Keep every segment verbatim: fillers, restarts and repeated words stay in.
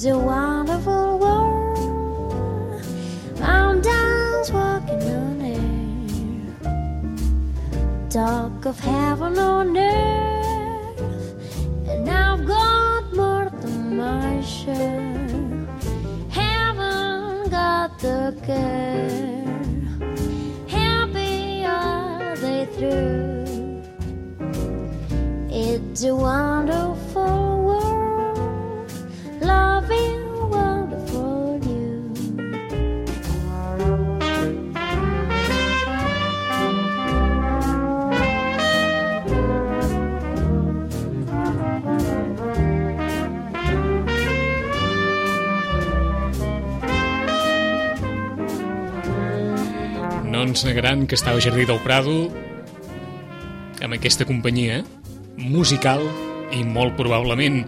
It's a wonderful world. Mountains walking on air. Talk of heaven on earth. And I've got more than my share. Haven't got the care. Happy are they through. It's a wonderful world, loving wonderful you. No ens negaran que estava a Jardí del Prado amb aquesta companyia musical i molt probablement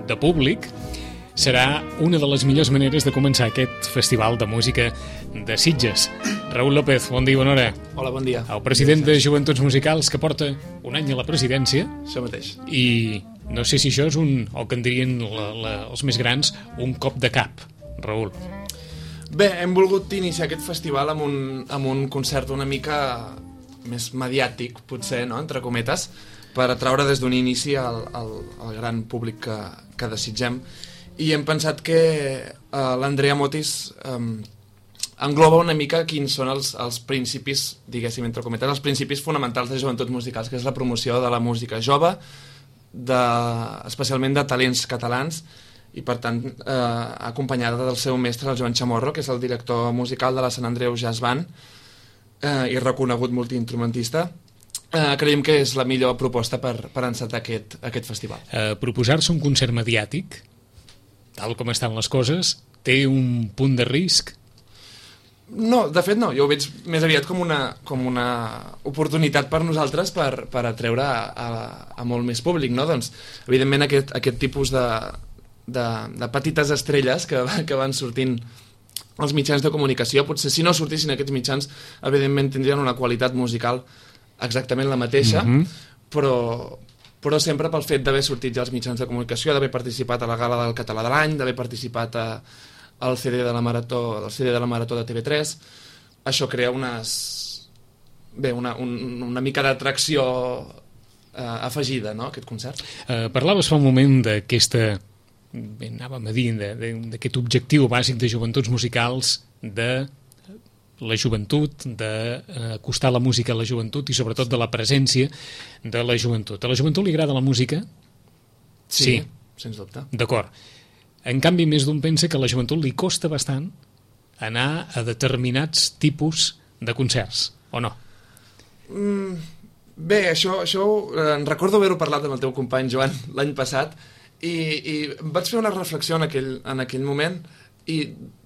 de públic. Serà una de les millors maneres de començar aquest festival de música de Sitges. Raül López, bon dia i bona hora. Hola, bon dia. El president de Joventuts Musicals, que porta un any a la presidència. Això mateix. I no sé si això és un, o que en dirien la, la, els més grans, un cop de cap, Raül. Bé, hem volgut iniciar aquest festival amb un, amb un concert una mica més mediàtic, potser, no?, entre cometes, per atraure des d'un inici al, al, al gran públic que, que desitgem. I hem pensat que uh, l'Andrea Motis um, engloba una mica quins són els, els principis, diguéssim, entre cometes, els principis fonamentals de Joventuts Musicals, que és la promoció de la música jove, de, especialment de talents catalans, i per tant eh, acompanyada del seu mestre, el Joan Chamorro, que és el director musical de la Sant Andreu Jazz Band eh, i reconegut multiinstrumentista. Eh, creiem que és la millor proposta per, per encetar aquest, aquest festival. Eh, proposar-se un concert mediàtic, tal com estan les coses, té un punt de risc? No, de fet no, jo ho veig més aviat com una, com una oportunitat per nosaltres per, per atreure a, a, a molt més públic, no? Doncs, evidentment, aquest, aquest tipus de, de, de petites estrelles que, que van sortint als mitjans de comunicació, potser si no sortissin aquests mitjans, evidentment tindrien una qualitat musical exactament la mateixa, mm-hmm. però, però sempre pel fet d'haver sortit ja als mitjans de comunicació, d'haver participat a la Gala del Català de l'Any, d'haver participat a, al C D de la Marató, al C D de la Marató de T V tres, això crea unes, bé, una, un, una mica d'atracció eh, afegida, no?, aquest concert. Eh, parlaves fa un moment d'aquesta, bé, anàvem a dir, d'aquest objectiu bàsic de Joventuts Musicals, de la joventut, d'acostar la música a la joventut i sobretot de la presència de la joventut. A la joventut li agrada la música? Sí, sí. Sens dubte. D'acord. En canvi, més d'un pensa que a la joventut li costa bastant anar a determinats tipus de concerts, o no? Mm, bé, això, això eh, en recordo haver-ho parlat amb el teu company Joan l'any passat i, i vaig fer una reflexió en aquell, en aquell moment i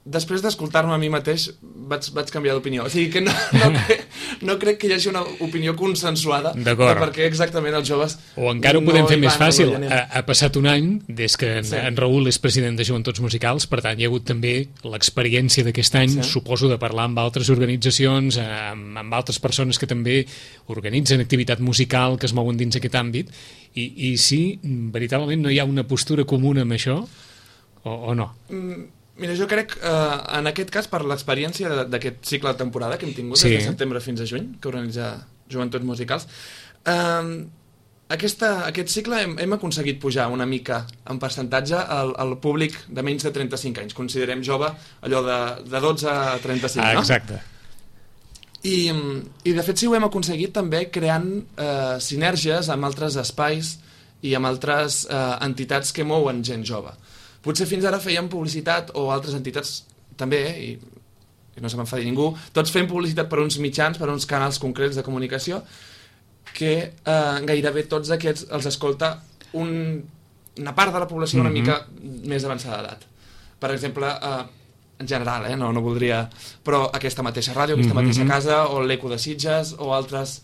després d'escoltar-me a mi mateix vaig, vaig canviar d'opinió. O sigui que no, no, crec, no crec que hi hagi una opinió consensuada de perquè exactament els joves... O encara ho podem no fer més fàcil. Ha, ha passat un any des que en, sí. en Raül és president de Joventuts Musicals, per tant hi ha hagut també l'experiència d'aquest any, sí. suposo, de parlar amb altres organitzacions, amb, amb altres persones que també organitzen activitat musical, que es mouen dins aquest àmbit, i, i si veritablement no hi ha una postura comuna amb això, o, o no? Mm. Mira, jo crec, eh, en aquest cas, per l'experiència d'aquest cicle de temporada que hem tingut, sí. des de setembre fins a juny, que organitza Joventuts Musicals, eh, aquesta, aquest cicle hem, hem aconseguit pujar una mica en percentatge al, al públic de menys de trenta-cinc anys. Considerem jove allò de, de dotze a trenta-cinc, ah, no? Exacte. I, I de fet sí ho hem aconseguit també creant eh, sinergies amb altres espais i amb altres eh, entitats que mouen gent jove. Potser fins ara fèiem publicitat, o altres entitats també, eh, i, i no se m'enfadi ningú, tots fem publicitat per uns mitjans, per uns canals concrets de comunicació, que eh, gairebé tots aquests els escolta un, una part de la població una mica mm-hmm. més avançada d'edat. Per exemple, eh, en general, eh, no, no voldria... Però aquesta mateixa ràdio, aquesta mm-hmm. mateixa casa, o l'Eco de Sitges, o altres,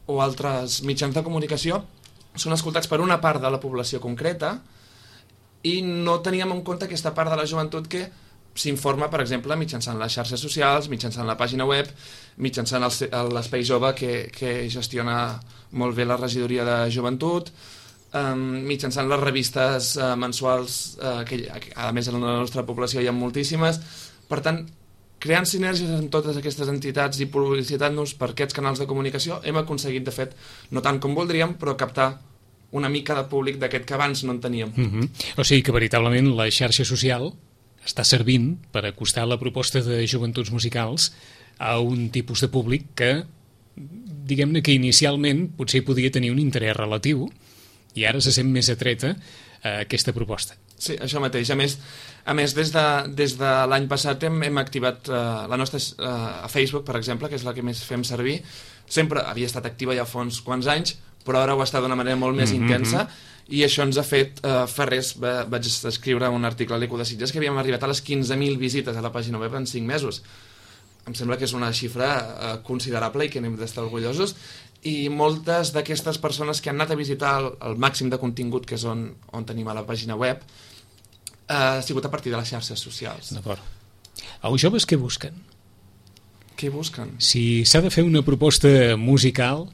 o altres mitjans de comunicació, són escoltats per una part de la població concreta, i no teníem en compte aquesta part de la joventut que s'informa, per exemple, mitjançant les xarxes socials, mitjançant la pàgina web, mitjançant l'Espai Jove que, que gestiona molt bé la regidoria de joventut, um, mitjançant les revistes uh, mensuals, uh, que a més en la nostra població hi ha moltíssimes. Per tant, creant sinergies amb totes aquestes entitats i publicitant-nos per aquests canals de comunicació, hem aconseguit, de fet, no tant com voldríem, però captar una mica de públic d'aquest que abans no en teníem. Mm-hmm. O sigui que veritablement la xarxa social està servint per acostar la proposta de Joventuts Musicals a un tipus de públic que, diguem-ne que inicialment potser podia tenir un interès relatiu i ara se sent més atreta a aquesta proposta. Sí, això mateix. A més, a més des de, des de l'any passat hem, hem activat uh, la nostra uh, a Facebook, per exemple, que és la que més fem servir. Sempre havia estat activa ja fa uns quants anys, però ara ho està d'una manera molt més mm-hmm. intensa, i això ens ha fet, uh, fa res, va, vaig escriure un article a l'Eco de Sitges que havíem arribat a les quinze mil visites a la pàgina web en cinc mesos. Em sembla que és una xifra uh, considerable i que n'hem d'estar orgullosos, i moltes d'aquestes persones que han anat a visitar el, el màxim de contingut, que és on, on tenim a la pàgina web, uh, ha sigut a partir de les xarxes socials. D'acord. Els joves què busquen? Què busquen? Si s'ha de fer una proposta musical...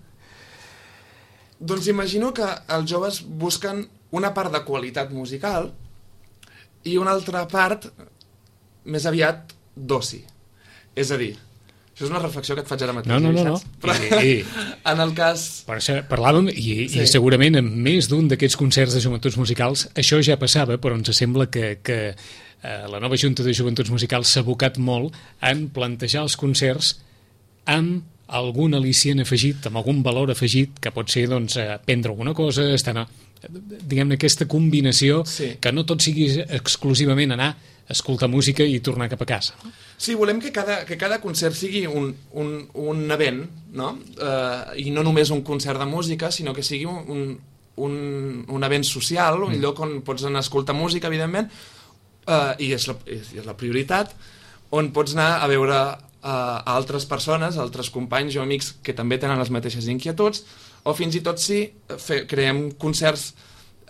Doncs imagino que els joves busquen una part de qualitat musical i una altra part més aviat d'oci. És a dir, això és una reflexió que et faig ara mateix. No, no, no. no. Però, I, i, en el cas... Per això parlàvem, i, sí. i segurament en més d'un d'aquests concerts de Joventuts Musicals això ja passava, però ens sembla que, que eh, la nova Junta de Joventuts Musicals s'ha abocat molt en plantejar els concerts amb algun al·licient afegit, amb algun valor afegit, que pot ser doncs, aprendre alguna cosa, estar a, diguem-ne, aquesta combinació, sí. que no tot sigui exclusivament anar a escoltar música i tornar cap a casa. No? Sí, volem que cada, que cada concert sigui un, un, un event, no? Uh, i no només un concert de música, sinó que sigui un, un, un event social, un mm. lloc on pots anar a escoltar música, evidentment, uh, i és la, és, és la prioritat, on pots anar a veure a altres persones, a altres companys o amics que també tenen les mateixes inquietuds, o fins i tot si fe, creem concerts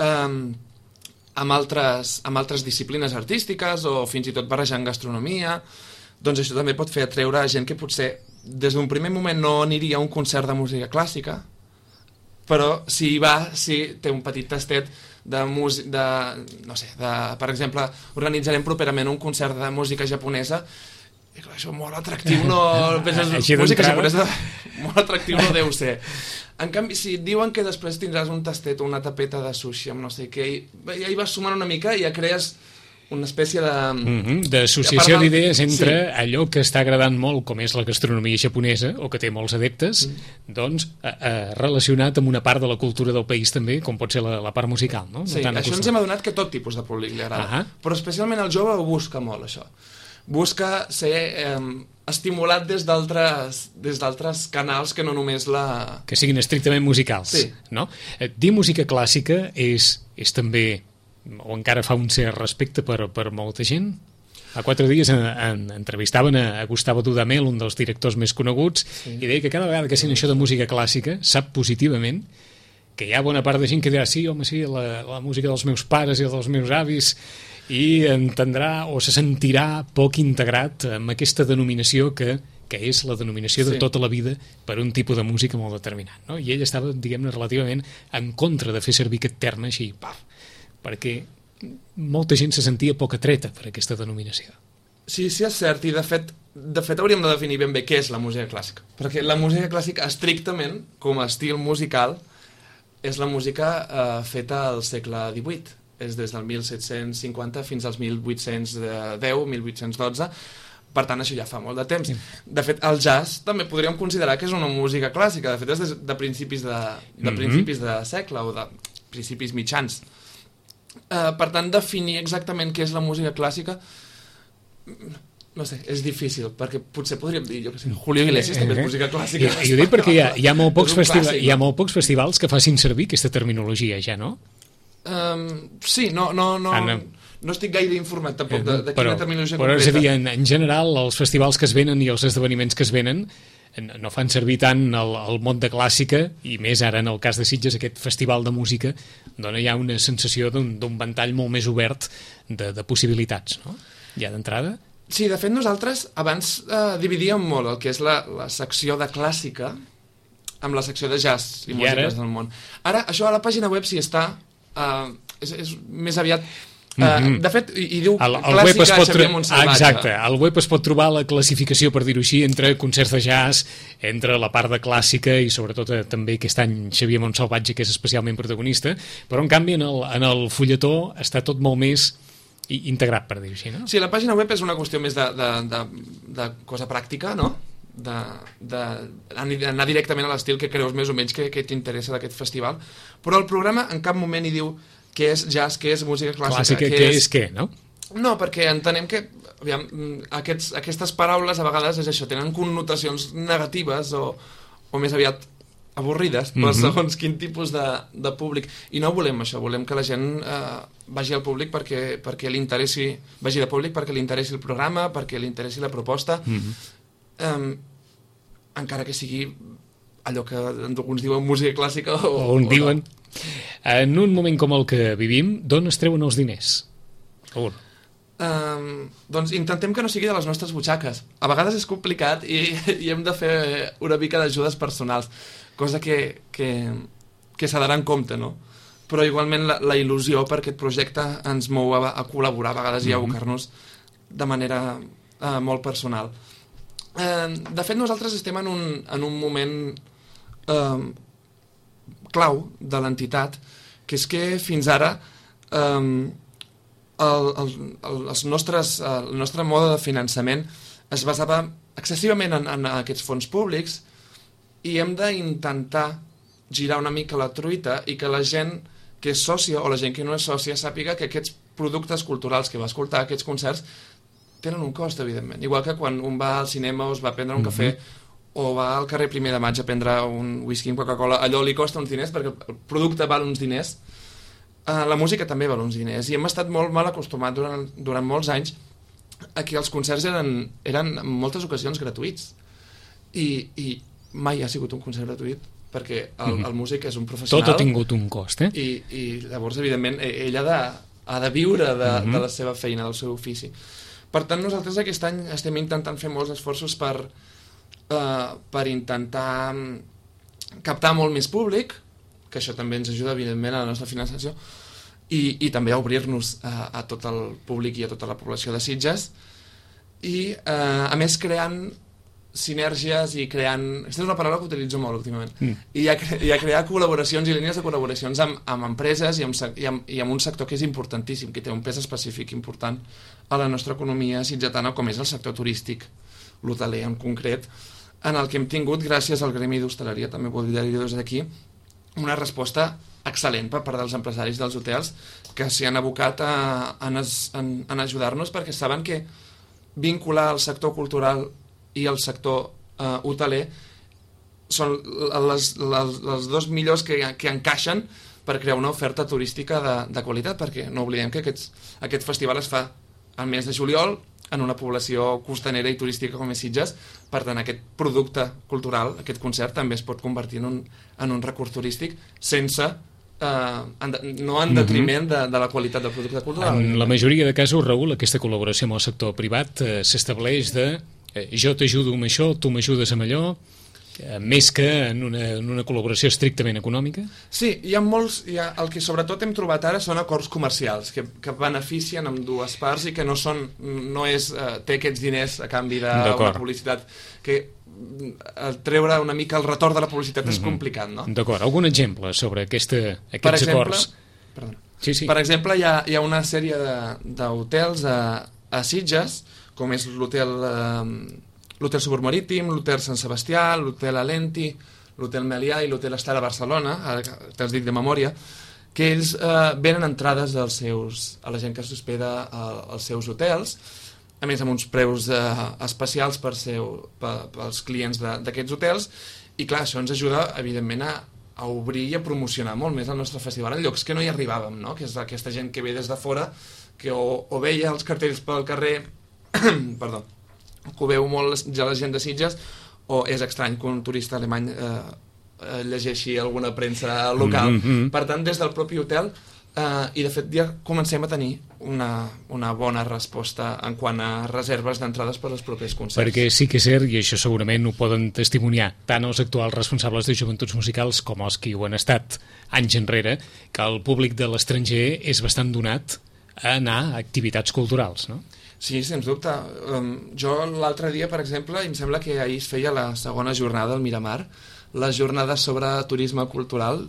eh, amb, altres, amb altres disciplines artístiques o fins i tot barrejant gastronomia, doncs això també pot fer atreure gent que potser des d'un primer moment no aniria a un concert de música clàssica, però si hi va, si té un petit tastet de música, de, no sé, de, per exemple, organitzarem properament un concert de música japonesa. I clar, això molt atractiu no... Penses, música japonesa molt atractiu no deu ser. En canvi, si et diuen que després tindràs un tastet o una tapeta de sushi amb no sé què, ja hi vas sumant una mica i ja crees una espècie de... Mm-hmm, d'associació de d'idees entre sí. allò que està agradant molt, com és la gastronomia japonesa, o que té molts adeptes, mm. doncs a, a, relacionat amb una part de la cultura del país també, com pot ser la, la part musical. No? Sí, no això ens hem adonat que tot tipus de públic li agrada. Uh-huh. Però especialment el jove ho busca molt, això. Busca ser eh, estimulat des d'altres des d'altres canals que no només la... Que siguin estrictament musicals. Sí. No? Dir música clàssica és, és també, o encara fa un cert respecte per, per molta gent? Fa quatre dies en, en, entrevistaven a, a Gustavo Dudamel, un dels directors més coneguts, sí. i deia que cada vegada que sent això de música clàssica sap positivament que hi ha bona part de gent que dirà sí, home, sí, la, la música dels meus pares i dels meus avis, i entendrà o se sentirà poc integrat amb aquesta denominació que, que és la denominació de sí. tota la vida per un tipus de música molt determinat. No? I ell estava, diguem-ne, relativament en contra de fer servir aquest terme així, paf, perquè molta gent se sentia poc atreta per aquesta denominació. Sí, sí, és cert, i de fet, de fet hauríem de definir ben bé què és la música clàssica. Perquè la música clàssica, estrictament, com a estil musical, és la música eh, feta al segle divuit. És des del mil set-cents cinquanta fins als mil vuit-cents deu, mil vuit-cents dotze, per tant això ja fa molt de temps. Sí. De fet, el jazz també podríem considerar que és una música clàssica, de fet és de, de, principis, de, de mm-hmm. principis de segle o de principis mitjans. Uh, per tant, definir exactament què és la música clàssica, no sé, és difícil, perquè potser podríem dir, jo que sé, Julio Iglesias també és música clàssica. I, i ho dic perquè hi ha, hi, ha molt pocs festiva- clàssic, hi ha molt pocs festivals que facin servir aquesta terminologia, ja, no? Um, sí, no, no, no, ah, no. no estic gaire informat tampoc de, de però, quina terminologia però concreta. És a dir, en, en general, els festivals que es venen i els esdeveniments que es venen no fan servir tant el, el mot de clàssica, i més ara en el cas de Sitges, aquest festival de música dona ja una sensació d'un, d'un ventall molt més obert de, de possibilitats, no? Ja d'entrada. Sí, de fet nosaltres abans eh, dividíem molt el que és la, la secció de clàssica amb la secció de jazz i, I músiques ara? Del món. Ara, això a la pàgina web sí està, uh, és, és més aviat... Uh, mm-hmm. De fet, i, i diu el, el clàssica Xavier Montsalvatge. Exacte, al web es pot trobar la classificació, per dir-ho així, entre concerts de jazz, entre la part de clàssica i sobretot eh, també aquest any Xavier Montsalvatge, que és especialment protagonista, però en canvi en el, en el fulletó està tot molt més integrat, per dir-ho així, no? Sí, la pàgina web és una qüestió més de, de, de, de cosa pràctica, no? D'anar directament a l'estil que creus més o menys que, que t'interessa d'aquest festival, però el programa en cap moment hi diu què és jazz, què és música clàssica, clàssica què, què és... és què, no? No, perquè entenem que aviam, aquests, aquestes paraules a vegades és això, tenen connotacions negatives o, o més aviat avorrides, però mm-hmm. segons quin tipus de, de públic, i no volem això, volem que la gent eh, vagi al públic perquè, perquè li interessi, vagi de públic perquè li interessi el programa, perquè li interessi la proposta, mm-hmm. eh, encara que sigui allò que alguns diuen música clàssica o, o on o diuen no. En un moment com el que vivim, d'on es treuen els diners? Raül. Um, doncs intentem que no sigui de les nostres butxaques. A vegades és complicat i, i hem de fer una mica d'ajudes personals, cosa que, que, que s'ha d'anar en compte, no? Però igualment la, la il·lusió per aquest projecte ens mou a, a col·laborar a vegades i a abocar-nos de manera uh, molt personal. Uh, de fet, nosaltres estem en un, en un moment uh, clau de l'entitat, que és que fins ara um, el, el, el, els nostres, el nostre mode de finançament es basava excessivament en, en aquests fons públics i hem d'intentar girar una mica la truita i que la gent que és sòcia o la gent que no és sòcia sàpiga que aquests productes culturals que va escoltar, aquests concerts, tenen un cost, evidentment. Igual que quan un va al cinema o es va prendre un cafè mm-hmm. o va al carrer Primer de Maig a prendre un whisky amb Coca-Cola, allò li costa uns diners perquè el producte val uns diners, uh, la música també val uns diners, i hem estat molt mal acostumats durant, durant molts anys a que els concerts eren, eren en moltes ocasions gratuïts, i, i mai ha sigut un concert gratuït perquè el, el músic és un professional. Tot ha tingut un cost, eh? I, i llavors, evidentment, ell ha de, ha de viure de, mm-hmm. de la seva feina, del seu ofici. Per tant, nosaltres aquest any estem intentant fer molts esforços per Uh, per intentar captar molt més públic, que això també ens ajuda evidentment a la nostra finançació, i, i també a obrir-nos a, a tot el públic i a tota la població de Sitges, i uh, a més creant sinergies i creant... Aquesta és una paraula que utilitzo molt últimament. Mm. I, a, I a crear col·laboracions i línies de col·laboracions amb, amb empreses i amb, i, amb, i amb un sector que és importantíssim, que té un pes específic important a la nostra economia sitgetana, com és el sector turístic, l'hoteler en concret, en el que hem tingut, gràcies al Gremi d'Hostaleria, també voldria dir des d'aquí, una resposta excel·lent per part dels empresaris dels hotels que s'hi han abocat a, a, a, a ajudar-nos, perquè saben que vincular el sector cultural i el sector eh, hoteler són les, les, les dos millors que, que encaixen per crear una oferta turística de, de qualitat, perquè no oblidem que aquests, aquest festival es fa al mes de juliol, en una població costanera i turística com és Sitges, per tant aquest producte cultural, aquest concert, també es pot convertir en un, en un recurs turístic sense, eh, en de, no en detriment de, de la qualitat del producte cultural. En la majoria de casos, Raül, aquesta col·laboració amb el sector privat eh, s'estableix de eh, jo t'ajudo amb això, tu m'ajudes amb allò, eh, més que en una, en una col·laboració estrictament econòmica? Sí, hi ha molts, hi ha, el que sobretot hem trobat ara són acords comercials que, que beneficien amb dues parts i que no són, no és, eh, té aquests diners a canvi d'una publicitat, que el treure una mica el retorn de la publicitat mm-hmm. és complicat, no? D'acord, algun exemple sobre aquesta, aquests per exemple, acords? Perdona. Sí, sí. Per exemple, hi ha, hi ha una sèrie d'hotels a, a Sitges, com és l'hotel eh, l'hotel Suburmarítim, l'hotel Sant Sebastià, l'hotel Alenti, l'hotel Melià i l'hotel Estar a Barcelona, ara te'ls dic de memòria, que ells eh, venen entrades dels seus, a la gent que s'hospeda als seus hotels, a més amb uns preus eh, especials per seu, per, pels clients d'aquests hotels, i clar, això ens ajuda evidentment a, a obrir i a promocionar molt més el nostre festival en llocs que no hi arribàvem, no? Que és aquesta gent que ve des de fora, que o, o veia els cartells pel carrer, perdó, que ho veu molt ja la gent de Sitges, o és estrany que un turista alemany eh, llegeixi alguna premsa local. Mm-hmm. Per tant, des del propi hotel Uh, i de fet ja comencem a tenir una, una bona resposta en quant a reserves d'entrades per als propers concerts. Perquè sí que és cert, i això segurament ho poden testimoniar tant els actuals responsables de joventuts musicals com els que ho han estat anys enrere, que el públic de l'estranger és bastant donat a anar a activitats culturals, no? Sí, sens dubte. Um, jo l'altre dia, per exemple, em sembla que ahir es feia la segona jornada al Miramar, les jornades sobre turisme cultural.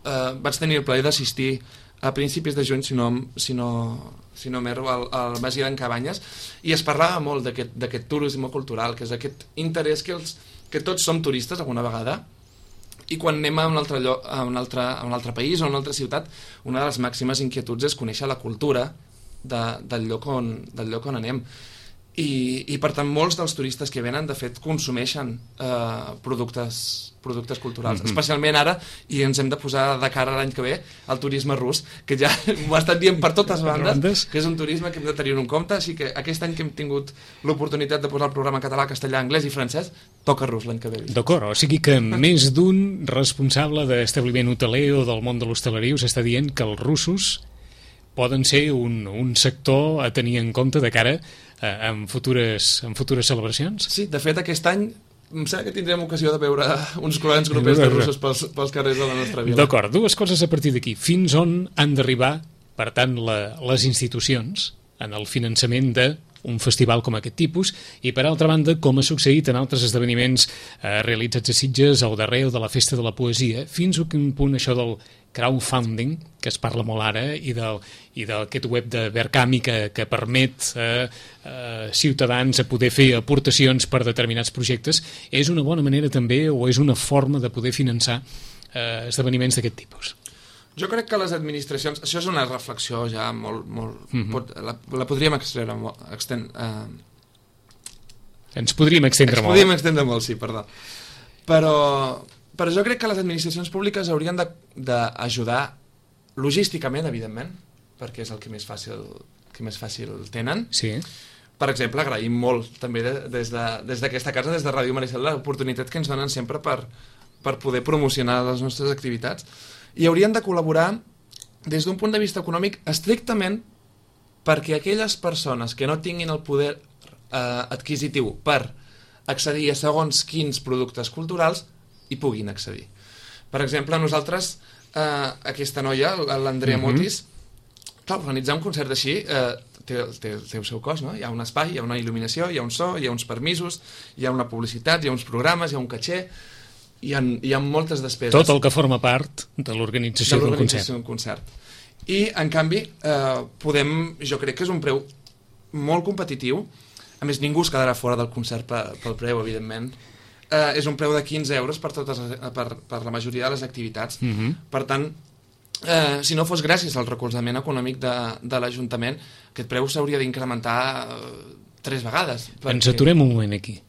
Uh, vaig tenir el plaer d'assistir a principis de juny, si no, si no, si no m'erro, al, al Masia d'en Cabanyes, i es parlava molt d'aquest turisme cultural, que és aquest interès que, els, que tots som turistes alguna vegada, i quan anem a un, altre lloc, a, un altre, a un altre país o a una altra ciutat, una de les màximes inquietuds és conèixer la cultura de, del, lloc on, del lloc on anem. I, i per tant molts dels turistes que venen de fet consumeixen eh, productes, productes culturals, mm-hmm. especialment ara, i ens hem de posar de cara l'any que ve al turisme rus, que ja m'ho estan dient per totes bandes, que és un turisme que hem de tenir en compte, així que aquest any que hem tingut l'oportunitat de posar el programa català, castellà, anglès i francès, toca rus l'any que ve. D'acord, o sigui que més d'un responsable d'establiment hoteler o del món de l'hostaleria us està dient que els russos poden ser un, un sector a tenir en compte de cara a, en, futures, en futures celebracions? Sí, de fet aquest any em sembla que tindrem ocasió de veure uns grans grupets de russos pels, pels carrers de la nostra vila. D'acord, dues coses a partir d'aquí. Fins on han d'arribar, per tant, la, les institucions en el finançament de un festival com aquest tipus, i per altra banda, com ha succeït en altres esdeveniments eh, realitzats a Sitges al darrer o de la Festa de la Poesia, fins a quin punt això del crowdfunding, que es parla molt ara, i del, i d'aquest web de Verkami que, que permet eh, eh, ciutadans a poder fer aportacions per determinats projectes, és una bona manera també, o és una forma de poder finançar eh, esdeveniments d'aquest tipus? Jo crec que les administracions... Això és una reflexió ja molt... molt mm-hmm. pot, la, la podríem extreure molt... Extend, uh... Ens podríem extendre Ens molt. podríem extendre molt, sí, perdó. Però, però jo crec que les administracions públiques haurien d'ajudar logísticament, evidentment, perquè és el que més fàcil, que més fàcil tenen. Sí. Per exemple, agraïm molt també de, des d'aquesta de, casa, des de Ràdio Maricel, l'oportunitat que ens donen sempre per, per poder promocionar les nostres activitats. I haurien de col·laborar des d'un punt de vista econòmic estrictament perquè aquelles persones que no tinguin el poder eh, adquisitiu per accedir a segons quins productes culturals hi puguin accedir. Per exemple, nosaltres, eh, aquesta noia, l'Andrea mm-hmm. Motis, clar, organitzar un concert així eh, té, té, té el seu cost, no? Hi ha un espai, hi ha una il·luminació, hi ha un so, hi ha uns permisos, hi ha una publicitat, hi ha uns programes, hi ha un caché... Hi ha, hi ha moltes despeses. Tot el que forma part de l'organització d'un concert. d'un concert. I, en canvi, eh, podem, jo crec que és un preu molt competitiu. A més, ningú es quedarà fora del concert per, pel preu, evidentment. Eh, és un preu de quinze euros per, totes, per, per la majoria de les activitats. Mm-hmm. Per tant, eh, si no fos gràcies al recolzament econòmic de, de l'Ajuntament, aquest preu s'hauria d'incrementar eh, tres vegades. Perquè... Ens aturem un moment aquí.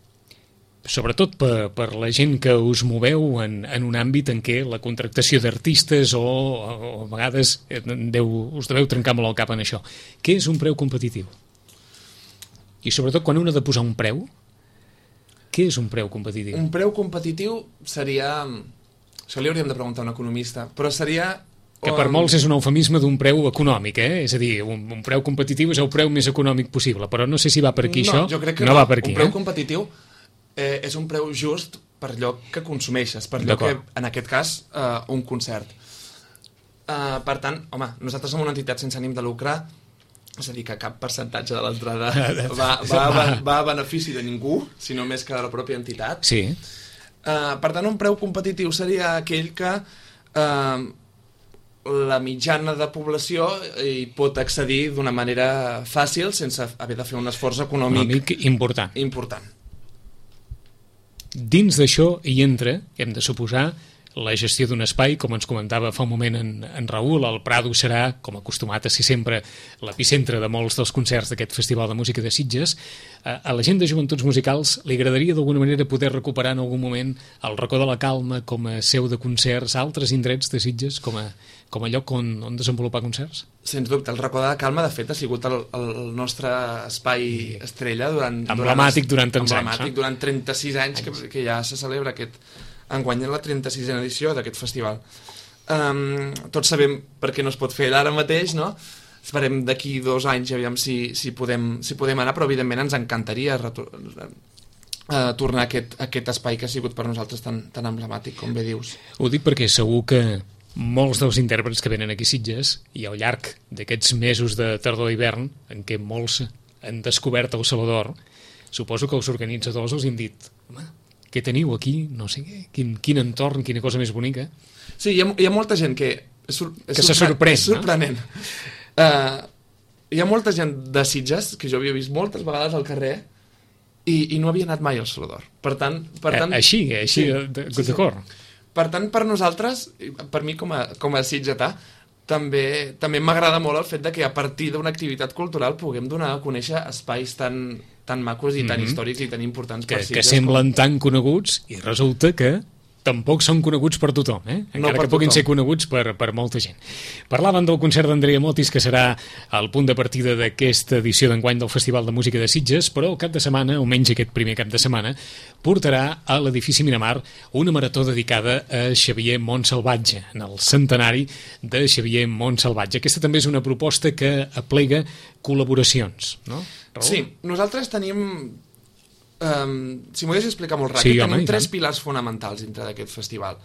Sobretot per, per la gent que us moveu en, en un àmbit en què la contractació d'artistes o, o a vegades deu, us deveu trencar molt el cap en això. Què és un preu competitiu? I sobretot quan un ha de posar un preu, què és un preu competitiu? Un preu competitiu seria... Això li hauríem de preguntar a un economista, però seria... Que per molts és un eufemisme d'un preu econòmic, eh? És a dir, un, un preu competitiu és el preu més econòmic possible, però no sé si va per aquí no, això. Jo crec que no, no. Va per aquí, un preu eh? competitiu eh, és un preu just per allò que consumeixes, per allò que, en aquest cas, eh, un concert. Eh, per tant, home, nosaltres som una entitat sense ànim de lucre, és a dir, que cap percentatge de l'entrada va, va, va, va a benefici de ningú, sinó més que de la pròpia entitat. Sí. Eh, per tant, un preu competitiu seria aquell que eh, la mitjana de població hi pot accedir d'una manera fàcil sense haver de fer un esforç econòmic, econòmic important. important. Dins d'això hi entra, hem de suposar, la gestió d'un espai, com ens comentava fa un moment en, en Raül. El Prado serà, com acostumat a ser sempre, l'epicentre de molts dels concerts d'aquest Festival de Música de Sitges. A la gent de Joventuts Musicals li agradaria d'alguna manera poder recuperar en algun moment el Racó de la Calma com a seu de concerts, altres indrets de Sitges com a, com a lloc on, on desenvolupar concerts? Sens dubte, el Racó de la Calma de fet ha sigut el, el nostre espai estrella durant... Emblemàtic durant, durant tants emblemàtic, anys. Eh? Durant trenta-sis anys que, que ja se celebra aquest... enguany la trenta-sisena edició d'aquest festival. Um, tots sabem per què no es pot fer ara mateix, no? Esperem d'aquí dos anys, aviam si, si, podem, si podem anar, però evidentment ens encantaria retor uh, tornar a aquest, a aquest espai que ha sigut per nosaltres tan, tan emblemàtic, com bé dius. Ho dic perquè segur que molts dels intèrprets que venen aquí a Sitges, i al llarg d'aquests mesos de tardor i hivern, en què molts han descobert el Salvador, suposo que els organitzadors els han dit, home, què teniu aquí? No sé què, quin, quin entorn, quina cosa més bonica. Sí, hi ha, hi ha molta gent que... És, és que se sorprèn, és sorprenent. No? Uh, hi ha molta gent de Sitges, que jo havia vist moltes vegades al carrer, i, i no havia anat mai al Salvador. Per tant... Per tant eh, així, així, sí, d'acord. Sí, sí. Per tant, per nosaltres, per mi com a, com a sitgetà, també, també m'agrada molt el fet de que a partir d'una activitat cultural puguem donar a conèixer espais tan, tan macos i tan mm-hmm. històrics i tan importants per que, Sitges. Que semblen com... tan coneguts i resulta que tampoc són coneguts per tothom, eh? Encara no que puguin tothom. Ser coneguts per, per molta gent. Parlaven del concert d'Andrea Motis, que serà el punt de partida d'aquesta edició d'enguany del Festival de Música de Sitges, però el cap de setmana, almenys aquest primer cap de setmana, portarà a l'edifici Miramar una marató dedicada a Xavier Montsalvatge, en el centenari de Xavier Montsalvatge. Aquesta també és una proposta que aplega col·laboracions, no? Raül? Sí, nosaltres tenim... Um, si m'ho deixes explicar molt ràpid, sí, tenim home, tres pilars fonamentals dintre d'aquest festival.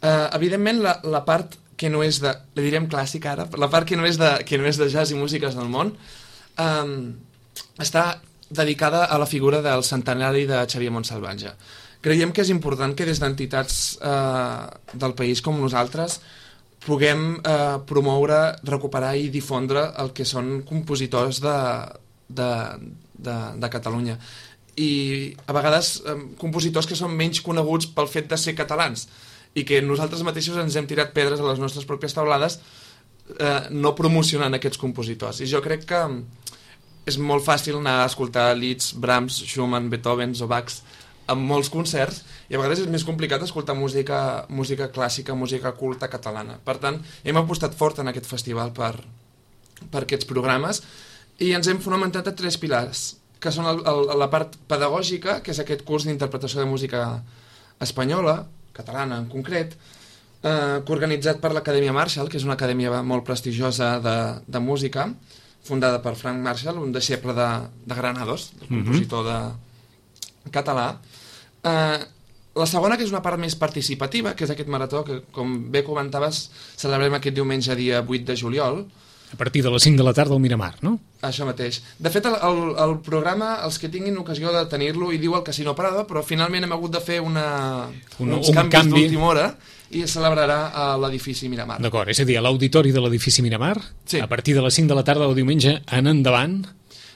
Uh, evidentment, la, la part que no és de... La direm clàssica ara, la part que no és de, que no és de jazz i músiques del món um, està dedicada a la figura del centenari de Xavier Montsalvatge. Creiem que és important que des d'entitats uh, del país com nosaltres puguem uh, promoure, recuperar i difondre el que són compositors de, de, de, de Catalunya. I a vegades eh, compositors que són menys coneguts pel fet de ser catalans i que nosaltres mateixos ens hem tirat pedres a les nostres pròpies taulades eh, no promocionant aquests compositors. I jo crec que és molt fàcil anar a escoltar Liszt, Brahms, Schumann, Beethoven o Bach en molts concerts i a vegades és més complicat escoltar música, música clàssica, música culta catalana. Per tant, hem apostat fort en aquest festival per, per aquests programes i ens hem fonamentat a tres pilars, que són el, el, la part pedagògica, que és aquest curs d'interpretació de música espanyola, catalana en concret, eh, organitzat per l'Acadèmia Marshall, que és una acadèmia molt prestigiosa de, de música, fundada per Frank Marshall, un deixeble de, de Granados, el compositor de català. Eh, la segona, que és una part més participativa, que és aquest marató, que com bé comentaves, celebrem aquest diumenge dia vuit de juliol, a partir de les cinc de la tarda al Miramar, no? Això mateix. De fet, el, el, el programa, els que tinguin ocasió de tenir-lo, hi diu el Casino Prado, però finalment hem hagut de fer una, un, uns un canvis canvi d'última hora i es celebrarà a l'edifici Miramar. D'acord, és a dir, a l'auditori de l'edifici Miramar, sí. A partir de les cinc de la tarda del diumenge en endavant...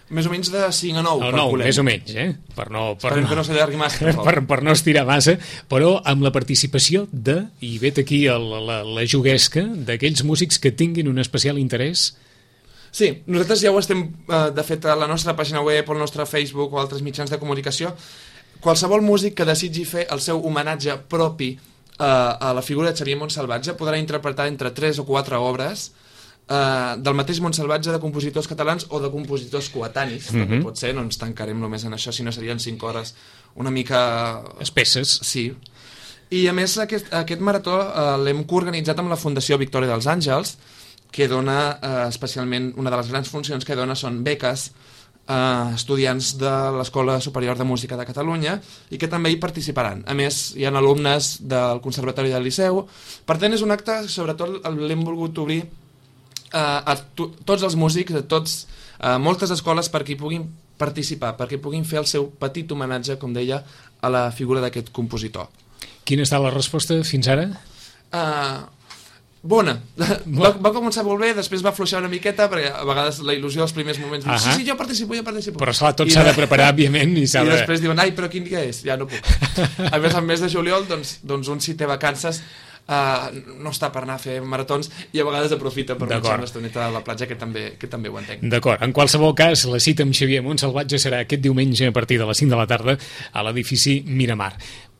Més o menys de cinc a nou, no, no, més o menys, eh? Per no, per Esperem no, que no s'allargui massa. Per, per no estirar massa, però amb la participació de, i vet aquí el, la, la juguesca, d'aquells músics que tinguin un especial interès. Sí, nosaltres ja ho estem, de fet, a la nostra pàgina web, al nostre Facebook o altres mitjans de comunicació. Qualsevol músic que desitgi fer el seu homenatge propi a la figura de Xavier Montsalvatge podrà interpretar entre tres o quatre obres Uh, del mateix Montsalvatge, de compositors catalans o de compositors coetanis, mm-hmm. també pot ser, no ens tancarem només en això, si no serien cinc hores una mica... espesses. Sí. I a més aquest, aquest marató uh, l'hem coorganitzat amb la Fundació Victòria dels Àngels, que dona uh, especialment, una de les grans funcions que dona són beques a uh, estudiants de l'Escola Superior de Música de Catalunya i que també hi participaran. A més, hi ha alumnes del Conservatori del Liceu. Per tant, és un acte, sobretot l'hem volgut obrir Uh, a to tots els músics, a tots, uh, moltes escoles perquè hi puguin participar, perquè puguin fer el seu petit homenatge, com deia, a la figura d'aquest compositor. Quina està la resposta fins ara? Uh, bona. Va, va començar molt bé, després va afluixar una miqueta, perquè a vegades la il·lusió dels primers moments diu, sí, sí, jo participo, jo participo. Però esclar, tot s'ha de preparar, òbviament, i s'ha de... I després diuen, ai, però quin dia és? Ja no puc. A més, al mes de juliol, doncs, doncs un si té vacances Uh, no està per anar a fer maratons i a vegades aprofita per marxar una estoneta a la platja, que també, que també ho entenc. D'acord, en qualsevol cas, la cita amb Xavier Montsalvatge serà aquest diumenge a partir de les cinc de la tarda a l'edifici Miramar.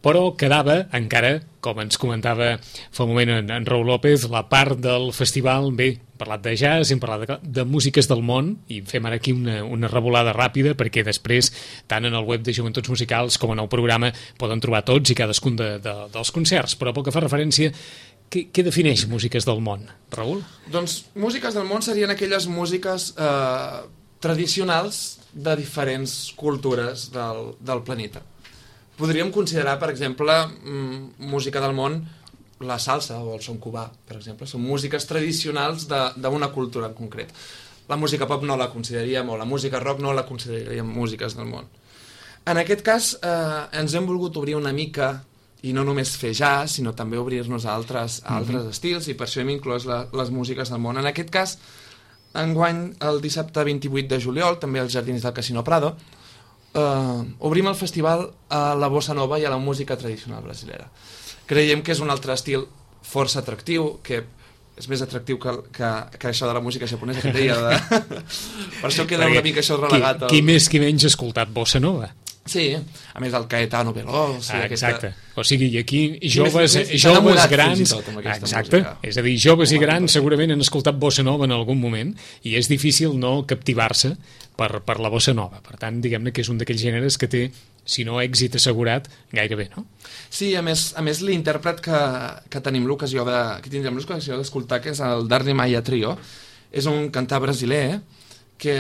Però quedava encara, com ens comentava fa un moment en, en Raül López, la part del festival, bé, hem parlat de jazz, hem parlat de, de músiques del món, i fem ara aquí una, una revolada ràpida, perquè després, tant en el web de Joventuts Musicals com en el programa, poden trobar tots i cadascun de, de, dels concerts. Però pel que fa referència, què, què defineix músiques del món, Raül? Doncs músiques del món serien aquelles músiques eh, tradicionals de diferents cultures del, del planeta. Podríem considerar, per exemple, música del món, la salsa o el son cubà, per exemple. Són músiques tradicionals d'una cultura en concret. La música pop no la consideraríem, o la música rock no la consideraríem músiques del món. En aquest cas, eh, ens hem volgut obrir una mica, i no només fer jazz, sinó també obrir-nos a altres, a altres mm-hmm. estils, i per això hem inclòs la, les músiques del món. En aquest cas, enguany, el dissabte vint-i-vuit de juliol, també als Jardins del Casino Prado, eh, obrim el festival a la bossa nova i a la música tradicional brasilera. Creiem que és un altre estil força atractiu, que és més atractiu que, que, que això de la música japonesa que deia. De... per això queda una mica això relegat. Qui, qui més qui menys ha escoltat bossa nova? Sí, a més el Caetano Veloso... Ah, exacte. Aquesta... O sigui, i aquí joves, més, joves grans... Exacte. Música. És a dir, joves i grans segurament han escoltat bossa nova en algun moment i és difícil no captivar-se per, per la bossa nova. Per tant, diguem-ne que és un d'aquells gèneres que té, si no èxit assegurat, gairebé, no? Sí, a més, a més l'intèrpret que, que tenim l'ocasió de, que tindrem l'ocasió d'escoltar, que és el Darli Maia Trio, és un cantar brasiler, que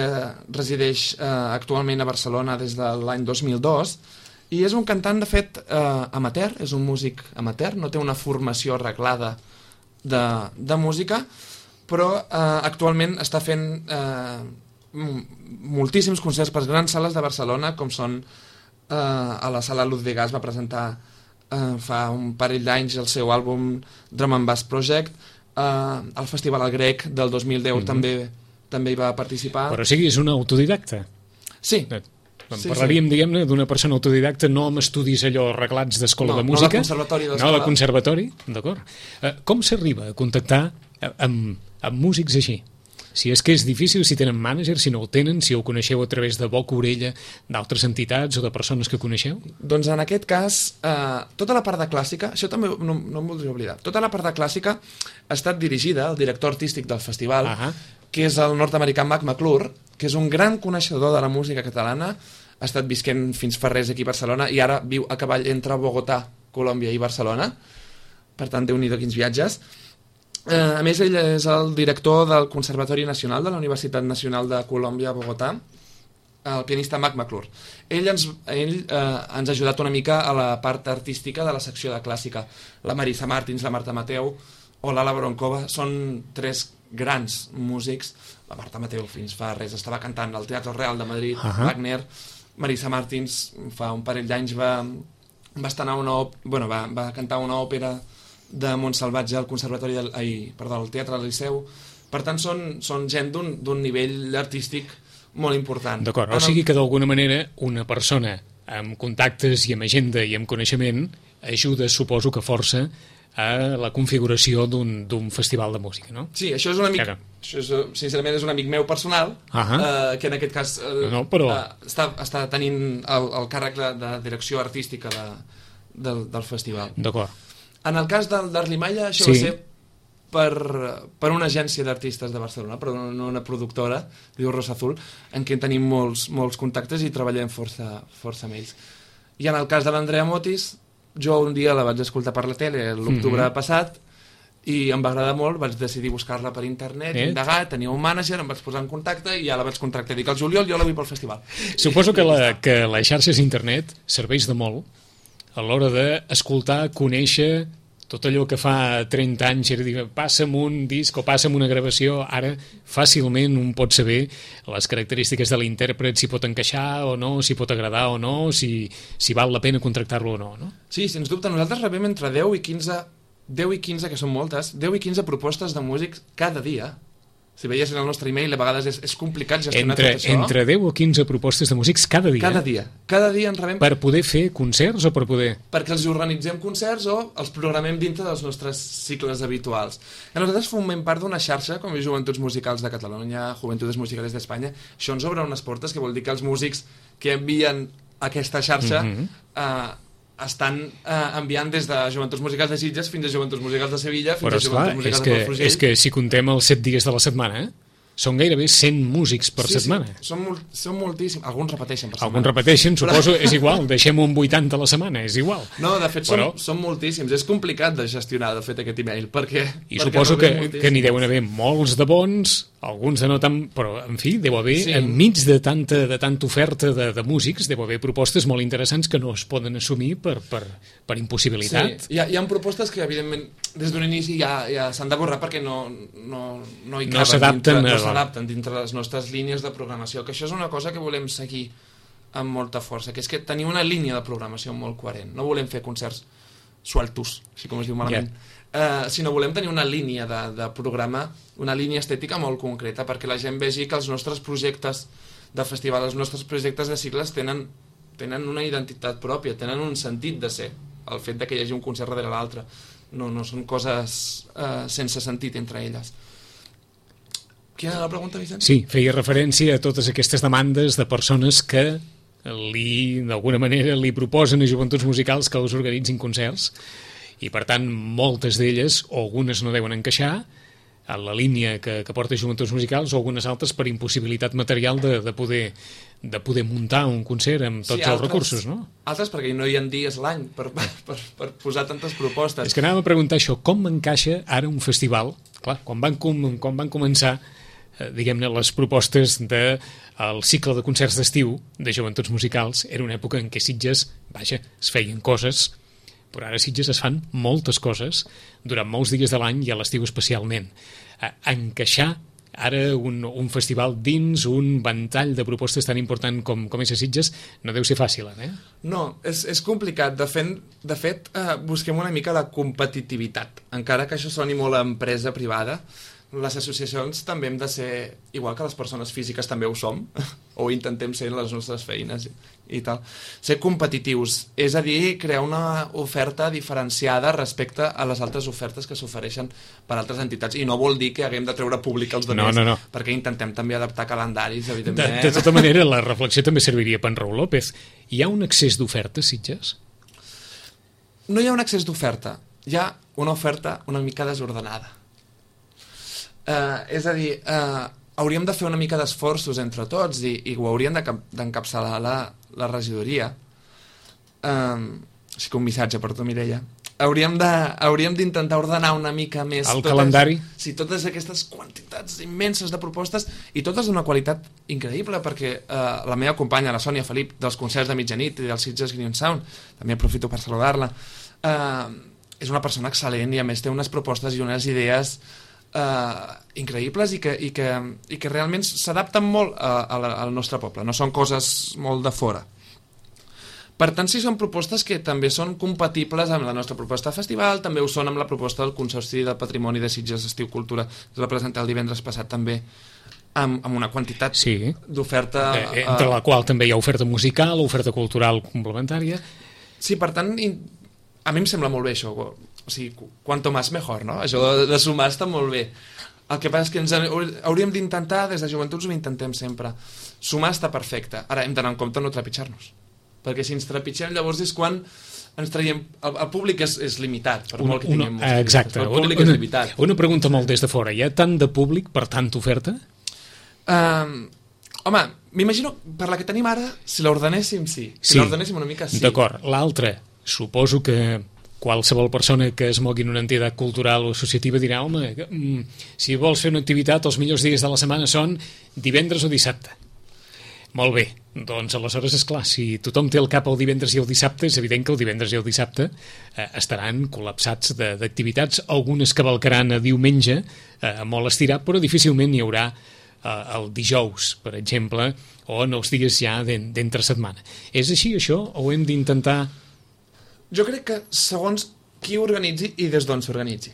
resideix eh, actualment a Barcelona des de l'any dos mil dos, i és un cantant, de fet, eh, amateur, és un músic amateur, no té una formació arreglada de, de música, però eh, actualment està fent eh, moltíssims concerts per grans sales de Barcelona, com són eh, a la sala Luz de Gas, va presentar eh, fa un parell d'anys el seu àlbum Drum and Bass Project, eh, al Festival al Grec del dos mil deu mm-hmm. també també hi va participar. Però o sigui, és un autodidacta. Sí. En sí, parlaríem, sí. diguem-ne, d'una persona autodidacta, no amb estudis allò arreglats d'escola no, de música. No, de conservatori d'escola. No, de conservatori, d'acord. Uh, com s'arriba a contactar amb, amb músics així? Si és que és difícil, si tenen mànager, si no el tenen, si ho coneixeu a través de boca orella d'altres entitats o de persones que coneixeu? Doncs en aquest cas, eh, tota la part de clàssica, això també no, no em voldria oblidar, tota la part de clàssica ha estat dirigida al director artístic del festival, uh -huh. que és el nord-americà Mac McClure, que és un gran coneixedor de la música catalana, ha estat visquent fins fa res aquí a Barcelona i ara viu a cavall entre Bogotà, Colòmbia i Barcelona, per tant, déu-n'hi-do quins viatges. Eh, a més, ell és el director del Conservatori Nacional de la Universitat Nacional de Colòmbia a Bogotà, el pianista Mac McClure. Ell, ens, ell eh, ens ha ajudat una mica a la part artística de la secció de clàssica. La Marisa Martins, la Marta Mateu o l'Ala Bronkova són tres grans músics. La Marta Mateu fins fa res estava cantant al Teatre Real de Madrid, uh-huh. Wagner. Marisa Martins fa un parell d'anys va, va, estar una bueno, va, va cantar una òpera de Montsalvatge al Conservatori del, ai, perdó, al Teatre del Liceu. Per tant, són, són gent d'un nivell artístic molt important. D'acord, o sigui que d'alguna manera una persona amb contactes i amb agenda i amb coneixement ajuda, suposo que força, a la configuració d'un festival de música, no? Sí, això és un amic, claro. Això és, sincerament és un amic meu personal, uh-huh. eh, que en aquest cas eh, no, però... eh, està, està tenint el, el càrrec de, de direcció artística de, del, del festival. D'acord. En el cas del Darli Maia, això sí. va ser per, per una agència d'artistes de Barcelona, però no una productora, diu Rosa Azul, en què tenim molts, molts contactes i treballem força, força amb ells. I en el cas de l'Andrea Motis, jo un dia la vaig escoltar per la tele l'octubre mm-hmm. passat i em va agradar molt, vaig decidir buscar-la per internet, eh? indagar, tenia un mànager, em vaig posar en contacte i ja la vaig contractar. Dic, al juliol jo la vull pel festival. Suposo que, la, que les xarxes d'internet serveix de molt a l'hora d'escoltar, conèixer tot allò que fa trenta anys era dir, passa'm un disc o passa'm una gravació, ara fàcilment un pot saber les característiques de l'intèrpret, si pot encaixar o no, si pot agradar o no, si, si val la pena contractar-lo o no, no? Sí, sens dubte, nosaltres rebem entre deu i quinze, deu i quinze, que són moltes, deu i quinze propostes de músics cada dia. Si veiessin el nostre e-mail, a vegades és, és complicat gestionar entre, tot això. Entre deu o quinze propostes de músics cada dia? Cada dia. Cada dia en rebem... Per poder fer concerts o per poder...? Perquè els organitzem concerts o els programem dintre dels nostres cicles habituals. I nosaltres formem part d'una xarxa, com és Joventuts Musicals de Catalunya, Juventudes Musicales d'Espanya. Això ens obre unes portes, que vol dir que els músics que envien aquesta xarxa... Mm-hmm. eh, estan eh, enviant des de Joventuts Musicals de Sitges fins a Joventuts Musicals de Sevilla fins Però, a Joventuts esclar, Musicals que, de Palafrugell. És que si contem els set dies de la setmana, eh? són gairebé cent músics per sí, setmana. Sí, són, molt, són moltíssims. Alguns repeteixen per setmana. Alguns repeteixen, suposo, és igual. Deixem un vuitanta a la setmana, és igual. No, de fet, Però... són, són moltíssims. És complicat de gestionar, de fet, aquest email, perquè... I perquè suposo no que, que n'hi deuen haver molts de bons, alguns de no tan... Però, en fi, deu haver, sí. enmig de tanta, de tanta oferta de, de músics, deu haver propostes molt interessants que no es poden assumir per, per, per impossibilitat. Sí, hi ha, hi ha propostes que, evidentment, des d'un inici ja, ja s'han de borrar perquè no, no, no hi caben. No s'adapten dintre, no s'adapten dintre les nostres línies de programació, que això és una cosa que volem seguir amb molta força, que és que tenir una línia de programació molt coherent. No volem fer concerts sueltos, així com es diu malament, yeah. uh, sinó volem tenir una línia de, de programa, una línia estètica molt concreta, perquè la gent vegi que els nostres projectes de festival, els nostres projectes de cicles tenen, tenen una identitat pròpia, tenen un sentit de ser, el fet de que hi hagi un concert darrere l'altre. No, no són coses uh, sense sentit entre elles. Quina era la pregunta, Vicent? Sí, feia referència a totes aquestes demandes de persones que li, d'alguna manera, li proposen a joventuts musicals que els organitzin concerts i, per tant, moltes d'elles, o algunes no deuen encaixar a la línia que, que porta joventuts musicals, o algunes altres per impossibilitat material de, de, poder, de poder muntar un concert amb tots sí, altres, els recursos, no? Altres perquè no hi ha dies l'any per, per, per posar tantes propostes. És que anàvem a preguntar això, com encaixa ara un festival? Clar, quan van, com, quan van començar eh, diguem-ne, les propostes del de, cicle de concerts d'estiu de joventuts musicals, era una època en què Sitges, vaja, es feien coses, però ara a Sitges es fan moltes coses durant molts dies de l'any i a l'estiu especialment. A encaixar ara un, un festival dins un ventall de propostes tan important com, com és a Sitges no deu ser fàcil, eh? No, és, és complicat. De fet, de fet eh, busquem una mica la competitivitat. Encara que això soni molt a empresa privada, les associacions també hem de ser, igual que les persones físiques també ho som, o intentem ser en les nostres feines i, i tal, ser competitius, és a dir, crear una oferta diferenciada respecte a les altres ofertes que s'ofereixen per altres entitats, i no vol dir que haguem de treure públic els demés, no, no, no. perquè intentem també adaptar calendaris, evidentment. De, de tota manera, la reflexió també serviria per en Raül López. Hi ha un excés d'oferta, Sitges? No hi ha un excés d'oferta, hi ha una oferta una mica desordenada. Uh, és a dir, uh, hauríem de fer una mica d'esforços entre tots i, i ho hauríem d'encapçalar la, la regidoria. Um, així que un missatge per tu, Mireia. Hauríem de, hauríem d'intentar ordenar una mica més el totes, calendari. Sí, totes aquestes quantitats immenses de propostes i totes d'una qualitat increïble, perquè uh, la meva companya, la Sònia Felip, dels concerts de mitjanit i del Sitges Green Sound, també aprofito per saludar-la, uh, és una persona excel·lent i a més té unes propostes i unes idees Uh, increïbles i que, i que, i que realment s'adapten molt a, a la, al nostre poble, no són coses molt de fora. Per tant, sí, són propostes que també són compatibles amb la nostra proposta de festival, també ho són amb la proposta del Consorci del Patrimoni de Sitges Estiu Cultura, que es va presentar el divendres passat també amb, amb una quantitat sí. d'oferta... Eh, entre uh, la qual també hi ha oferta musical, oferta cultural complementària... Sí, per tant, a mi em sembla molt bé això, o sigui, quanto más mejor, no? Això de, de sumar està molt bé. El que passa és que ens hauríem d'intentar, des de joventuts ho intentem sempre, sumar està perfecte. Ara hem d'anar en compte no trepitjar-nos, perquè si ens trepitgem llavors és quan ens traiem... El, el públic és, és limitat, per molt que tinguem... Una, exacte. El públic una, és limitat. Una pregunta molt des de fora. Hi ha tant de públic per tanta oferta? Um, home, m'imagino, per la que tenim ara, si l'ordenéssim, sí. Si sí. l'ordenéssim una mica, sí. D'acord. L'altra, suposo que qualsevol persona que es mogui en una entitat cultural o associativa dirà, home, si vols fer una activitat, els millors dies de la setmana són divendres o dissabte. Molt bé, doncs aleshores, esclar, si tothom té el cap el divendres i el dissabte, és evident que el divendres i el dissabte eh, estaran col·lapsats d'activitats, algunes cavalcaran a diumenge, eh, molt estirat, però difícilment hi haurà eh, el dijous, per exemple, o en els dies ja d'entre setmana. És així, això, o hem d'intentar... Jo crec que segons qui organitzi i des d'on s'organitzi.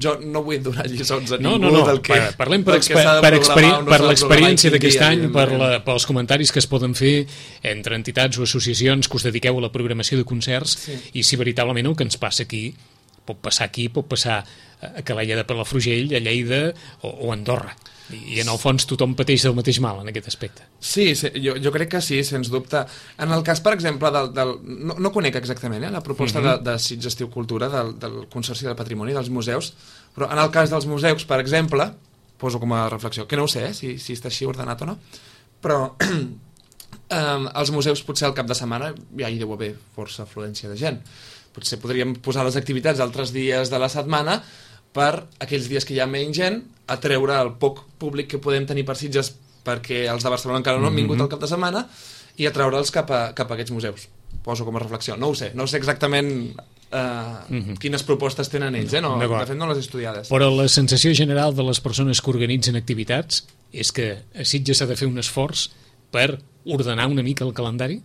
Jo no vull donar lliçons a ningú no, no, no. del que... Parlem per, exper per, experi per l'experiència d'aquest any, per la, pels comentaris que es poden fer entre entitats o associacions que us dediqueu a la programació de concerts sí. I si veritablement el que ens passa aquí pot passar aquí, pot passar a Calella de Palafrugell, a Lleida o, o a Andorra. I en el fons tothom pateix del mateix mal en aquest aspecte. Sí, sí jo, jo crec que sí, sens dubte. En el cas, per exemple, del, del, no, no conec exactament eh, la proposta uh-huh. de, de Sitges Estiu Cultura del, del Consorci del Patrimoni dels museus, però en el cas dels museus, per exemple, poso com a reflexió, que no ho sé, eh, si, si està així ordenat o no, però eh, als museus potser al cap de setmana ja hi deu haver força afluència de gent. Potser podríem posar les activitats altres dies de la setmana per aquells dies que hi ha menys gent, atreure el poc públic que podem tenir per Sitges perquè els de Barcelona encara no han vingut al cap de setmana i atreure'ls cap a, cap a aquests museus. Poso com a reflexió. No ho sé, no sé exactament eh, mm-hmm. quines propostes tenen ells, eh? No, de fet no les he estudiades. Però la sensació general de les persones que organitzen activitats és que a Sitges s'ha de fer un esforç per ordenar una mica el calendari?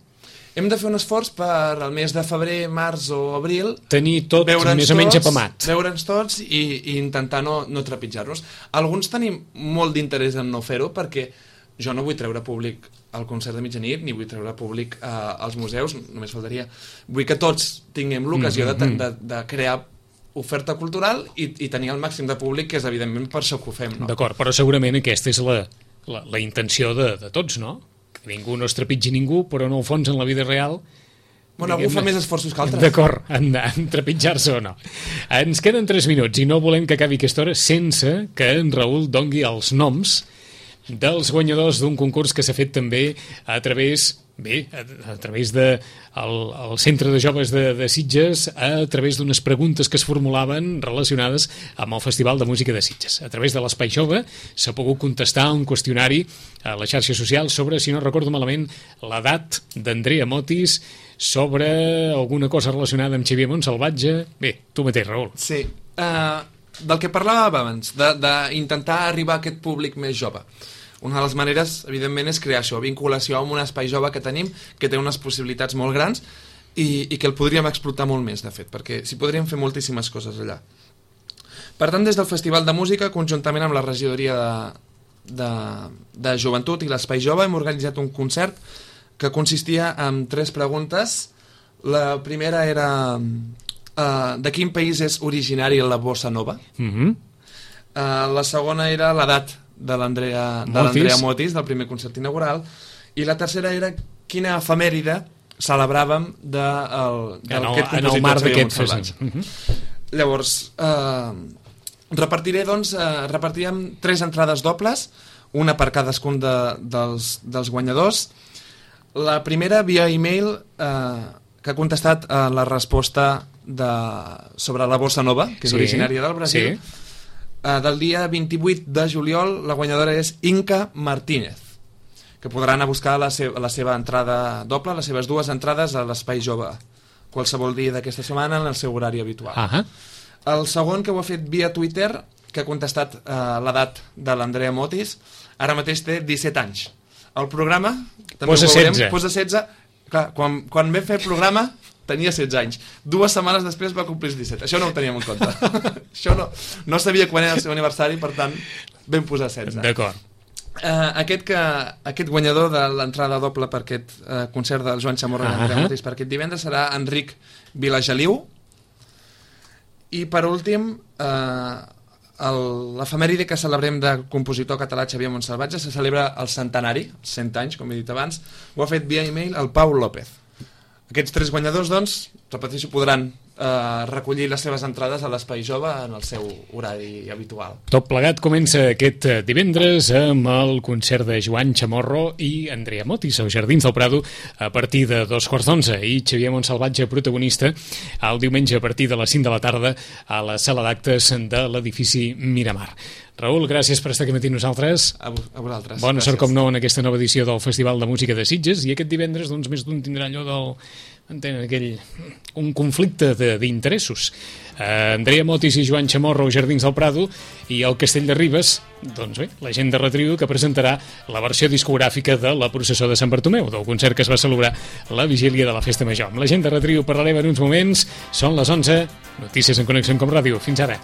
Hem de fer un esforç per al mes de febrer, març o abril tenir tot més o menys apamat. Veure'ns tots i, i intentar no, no trepitjar-nos. Alguns tenim molt d'interès en no fer-ho perquè jo no vull treure públic al concert de mitjanit ni vull treure públic eh, als museus, només faltaria. Vull que tots tinguem l'ocasió mm-hmm. de, de, de crear oferta cultural i, i tenir el màxim de públic, que és evidentment per això que ho fem. No? D'acord, però segurament aquesta és la, la, la intenció de, de tots, no? Que ningú no es trepitgi ningú, però en el fons, en la vida real... Bueno, algú fa més esforços que altres. D'acord, en, en trepitjar-se o no. Ens queden tres minuts i no volem que acabi aquesta hora sense que en Raül dongui els noms dels guanyadors d'un concurs que s'ha fet també a través... Bé, a, a través del de el Centre de Joves de, de Sitges, a través d'unes preguntes que es formulaven relacionades amb el Festival de Música de Sitges. A través de l'Espai Jove s'ha pogut contestar un qüestionari a les xarxes socials sobre, si no recordo malament, l'edat d'Andrea Motis, sobre alguna cosa relacionada amb Xavier Montsalvatge. Bé, tu mateix, Raül. Sí, uh, del que parlàvem abans, d'intentar arribar a aquest públic més jove. Una de les maneres, evidentment, és crear això, vinculació amb un espai jove que tenim, que té unes possibilitats molt grans i, i que el podríem explotar molt més, de fet, perquè s'hi podríem fer moltíssimes coses allà. Per tant, des del Festival de Música, conjuntament amb la regidoria de, de, de Joventut i l'Espai Jove, hem organitzat un concert que consistia en tres preguntes. La primera era uh, de quin país és originari la bossa nova? Mm-hmm. uh, la segona era l'edat de l'Andrea Motis. Motis, del primer concert inaugural, i la tercera era quina efemèride celebràvem de, el, del, aquest compositor en el marc d'aquest festival. Uh-huh. Llavors, eh, repartiré, doncs, eh, repartirem tres entrades dobles, una per cadascun de, dels, dels guanyadors. La primera, via e-mail, eh, que ha contestat a la resposta de, sobre la bossa nova, que és sí, originària del Brasil. Sí. Uh, del dia vint-i-vuit de juliol, la guanyadora és Inca Martínez, que podran anar a buscar la, seva, la seva entrada doble, les seves dues entrades a l'Espai Jove, qualsevol dia d'aquesta setmana en el seu horari habitual. Uh-huh. El segon, que ho ha fet via Twitter, que ha contestat uh, l'edat de l'Andrea Motis, ara mateix té disset anys. El programa, també posa ho veurem, setze. Posa setze. Clar, quan, quan vam fer el programa tenia setze anys. Dues setmanes després va complir disset. Això no ho teníem en compte. Això no, no sabia quan era el seu aniversari, per tant, vam posar setze. D'acord. Uh, aquest, que, aquest guanyador de l'entrada doble per aquest uh, concert del Joan Chamorro uh-huh. i Andrea Motis per aquest divendres serà Enric Vilageliu. I per últim, uh, l'efemèride que celebrem del compositor català Xavier Montsalvatge se celebra el centenari, cent anys, com he dit abans. Ho ha fet via e-mail el Pau López. Aquests tres guanyadors, doncs, repeteixo, podran eh, recollir les seves entrades a l'Espai Jove en el seu horari habitual. Tot plegat comença aquest divendres amb el concert de Joan Chamorro i Andrea Motis als Jardins del Prado a partir de dos quarts d'onze i Xavier Montsalvatge, protagonista, el diumenge a partir de les cinc de la tarda a la sala d'actes de l'edifici Miramar. Raül, gràcies per estar aquí matí nosaltres. A, a vosaltres. Bona gràcies. Sort, com no, en aquesta nova edició del Festival de Música de Sitges, i aquest divendres, doncs, més d'un tindrà allò del... Entenen, aquell... un conflicte d'interessos. Uh, Andrea Motis i Joan Chamorro, Jardins del Prado, i el Castell de Ribes, doncs bé, la gent de Retriu, que presentarà la versió discogràfica de la processó de Sant Bartomeu, del concert que es va celebrar la vigília de la Festa Major. Amb la gent de Retriu parlarem en uns moments. Són les onze. Notícies en Connexió Com Ràdio. Fins ara.